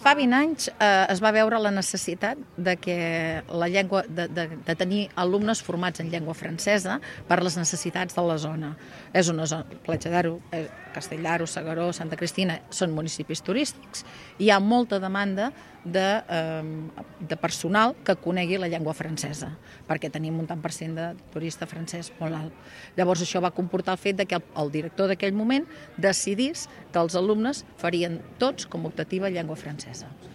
Fa 20 anys es va veure la necessitat de tenir alumnes formats en llengua francesa per les necessitats de la zona. És una zona, Platja d'Aro, Castell d'Aro, S'Agaró, Santa Cristina, són municipis turístics. Hi ha molta demanda de personal que conegui la llengua francesa, perquè tenim un tant per cent de turista francès molt alt. Llavors això va comportar el fet que el director d'aquell moment decidís que els alumnes farien tots com a optativa llengua francesa.